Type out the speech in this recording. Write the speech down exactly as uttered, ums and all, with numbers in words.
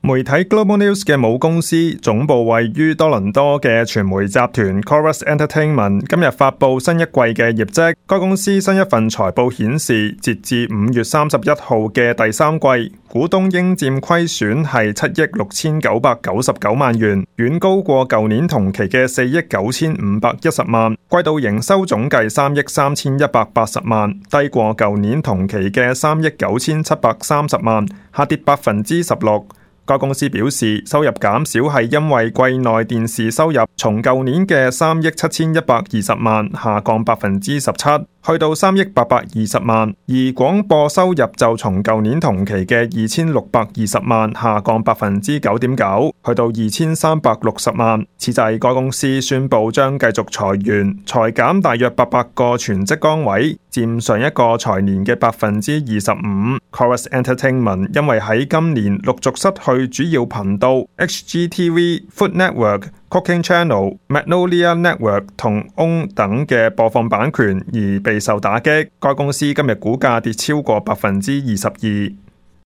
媒體 Global News 嘅母公司總部位於多倫多嘅傳媒集團 Corus Entertainment 今日發佈新一季嘅業績。該公司新一份財報顯示，截至五月三十一號嘅第三季，股東應佔虧損係七億六千九百九十九萬元，遠高過舊年同期嘅四億九千五百一十萬。季度營收總計三億三千一百八十萬，低過舊年同期嘅三億九千七百三十萬，下跌百分之十六。該公司表示，收入減少係因為季內電視收入從舊年嘅三億七千一百二十萬下降百分之十七，去到三億八百二十萬，而廣播收入就從舊年同期嘅二千六百二十萬下降百分之九點九，去到二千三百六十萬。此際，該公司宣布將繼續裁員，裁減大約八百個全職崗位，佔上一個財年嘅百分之二十五。Corus Entertainment 因為喺今年陸續失去主要頻道 H G T V、Food Network、Cooking Channel、Magnolia Network 同 O W N 等嘅播放版權而備受打擊。該公司今日股價跌超過百分之二十二。